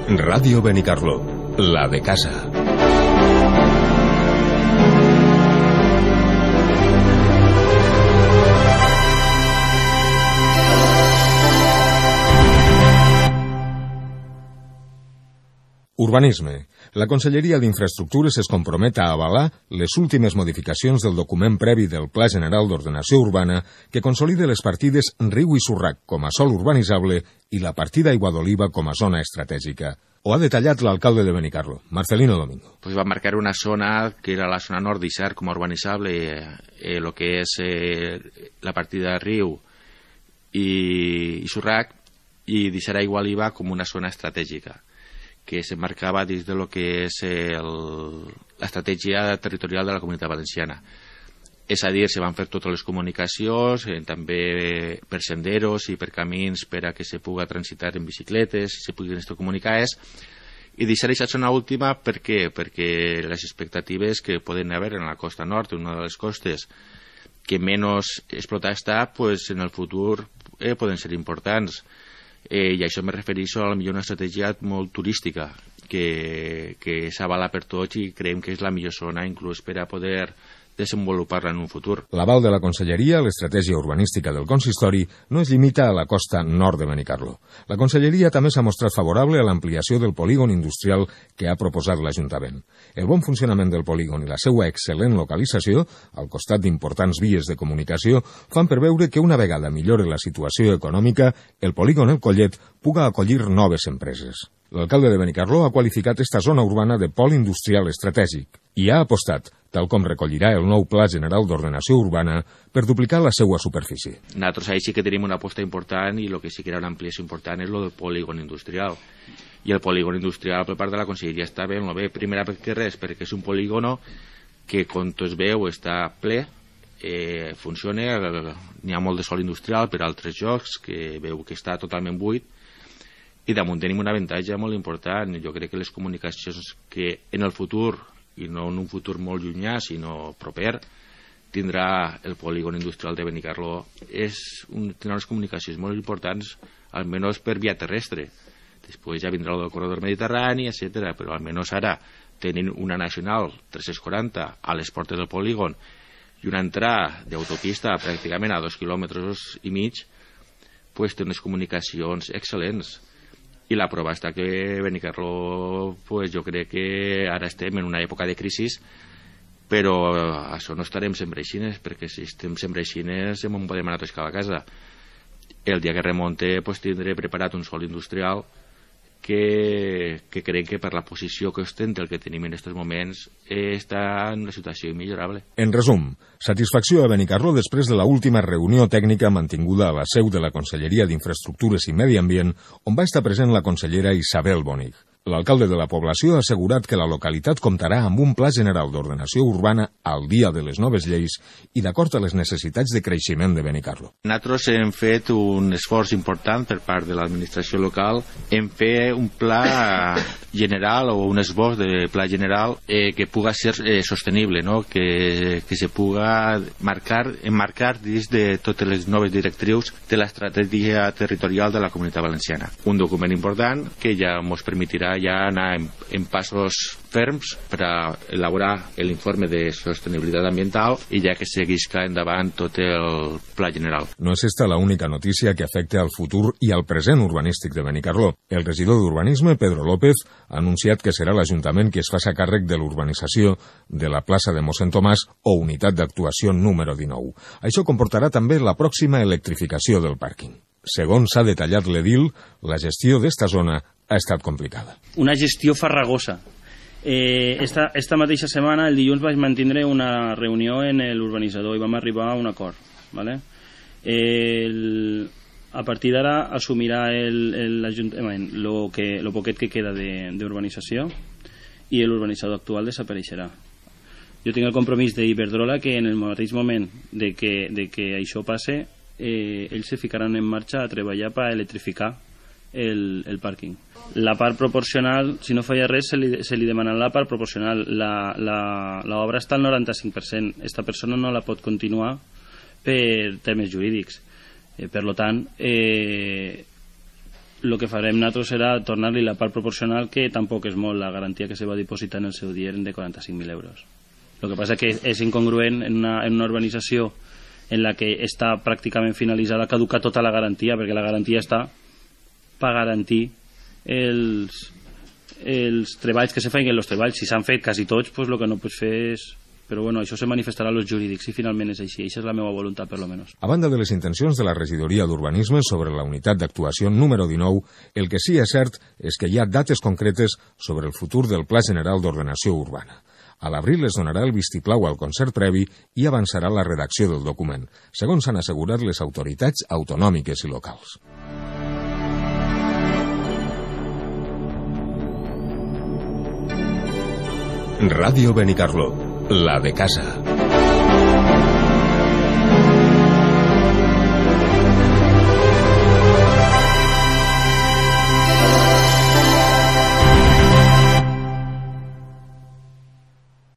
Ràdio Benicarló, la de casa. Urbanisme. La Conselleria d'Infraestructures es compromet a avalar les últimes modificacions del document previ del Pla General d'Ordenació Urbana que consolida les partides Riu i Surrac com a sòl urbanitzable i la partida Aigua d'Oliva com a zona estratègica. Ho ha detallat l'alcalde de Benicarló, Marcelino Domingo. Pues va a marcar una zona que era la zona nord d'Isar como urbanitzable, lo que es la partida Riu y Surrac, y d'Isar Aigua Oliva como una zona estratègica, que se marcava dins de lo que és l'estratègia territorial de la Comunitat Valenciana. És a dir, se van fer totes les comunicacions, també per senderos i per camins per a que se puga transitar en bicicletes, se puguin comunicar, i deixar aquesta zona última per què? Perquè les expectatives que poden haver en la costa nord, una de les costes que menys explotada està, pues en el futur poden ser importants. I això me refereixo a la millor una estratègia molt turística que s'avala per tots i creiem que és la millor zona inclús per a poder desenvolupar-la en un futur. L'aval de la Conselleria, l'estratègia urbanística del consistori, no es limita a la costa nord de Benicarló. La Conselleria també s'ha mostrat favorable a l'ampliació del polígon industrial que ha proposat l'Ajuntament. El bon funcionament del polígon i la seva excel·lent localització, al costat d'importants vies de comunicació, fan preveure que una vegada millore la situació econòmica, el polígon El Collet puga acollir noves empreses. L'alcalde de Benicarló ha qualificat esta zona urbana de pol industrial estratègic i ha apostat, tal com recollirà el nou Pla General d'Ordenació Urbana, per duplicar la seva superfície. Nosaltres ahí sí que tenim una aposta important i el que sí que era una ampliació important és el del polígon industrial. I el polígon industrial per part de la Conselleria està ben, primera perquè res, perquè és un polígono que, com es veu, està ple, funciona, n'hi ha molt de sòl industrial per altres llocs, que veu que està totalment buit, i damunt tenim un avantatge molt important. Jo crec que les comunicacions que en el futur, i no en un futur molt llunyà, sinó proper, tindrà el polígon industrial de Benicarló, tindrà unes comunicacions molt importants, almenys per via terrestre. Després ja vindrà el del corredor mediterrani, etc. Però almenys ara, tenint una nacional 340 a les portes del polígon i una entrada d'autopista pràcticament a 2,5 quilòmetres, pues té unes comunicacions excel·lents. I la prova està que Benicarló, pues jo crec que ara estem en una època de crisi, però això no estarem sempre aixines, perquè si estem sempre aixines no podem anar tots cada casa. El dia que remonte pues tindré preparat un sòl industrial que crec que per la posició que ostenta el que tenim en aquests moments està en una situació immillorable. En resum, satisfacció a Benicarló després de la última reunió tècnica mantinguda a la seu de la Conselleria d'Infraestructures i Medi Ambient, on va estar present la consellera Isabel Bonig. L'alcalde de la població ha assegurat que la localitat comptarà amb un Pla General d'Ordenació Urbana al dia de les noves lleis i d'acord a les necessitats de creixement de Benicarló. Nosaltres hem fet un esforç important per part de l'administració local en fer un pla general o un esbós de pla general que puga ser sostenible, no? que se puga emmarcar dins de totes les noves directrius de l'estratègia territorial de la Comunitat Valenciana. Un document important que ja ens permetirà ja anar en passos ferms per a elaborar l'informe de sostenibilitat ambiental i ja que seguisca endavant tot el pla general. No és esta l'única notícia que afecta al futur i al present urbanístic de Benicarló. El regidor d'Urbanisme, Pedro López, ha anunciat que serà l'Ajuntament qui es faci càrrec de l'urbanització de la plaça de Mossèn Tomàs o unitat d'actuació número 19. Això comportarà també la pròxima electrificació del pàrquing. Segons s'ha detallat l'edil, la gestió d'esta zona ha estat complicada. Una gestió farragosa. Esta mateixa setmana, el dilluns, vaig mantindre una reunió en l'urbanitzador i vam arribar a un acord. ¿vale? A partir d'ara assumirà l'Ajuntament el poquet que queda d'urbanització i l'urbanitzador actual desapareixerà. Jo tinc el compromís d'Iberdrola que en el mateix moment de que això passe, ells se ficaran en marxa a treballar per electrificar el pàrquing. La part proporcional, si no falla res, se li demanarà la part proporcional. L'obra està al 95%. Esta persona no la pot continuar per termes jurídics. Per tant, el que farem nosaltres serà tornar-li la part proporcional, que tampoc és molt. La garantia que se va dipositar en el seu dia eren de 45.000 euros. El que passa que és incongruent en una urbanització en la que està pràcticament finalitzada, caduca tota la garantia, perquè la garantia està per garantir els treballs que se feien. Els treballs, si s'han fet quasi tots, pues el que no pots fer és... Però bueno, això se manifestarà als jurídics si finalment és així. Això és la meva voluntat, per lo menos. A banda de les intencions de la regidoria d'urbanisme sobre la unitat d'actuació número 19, el que sí és cert és que hi ha dates concretes sobre el futur del Pla General d'Ordenació Urbana. A l'abril es donarà el vistiplau al concert previ i avançarà la redacció del document, segons han assegurat les autoritats autonòmiques i locals. Ràdio Benicarló, la de casa.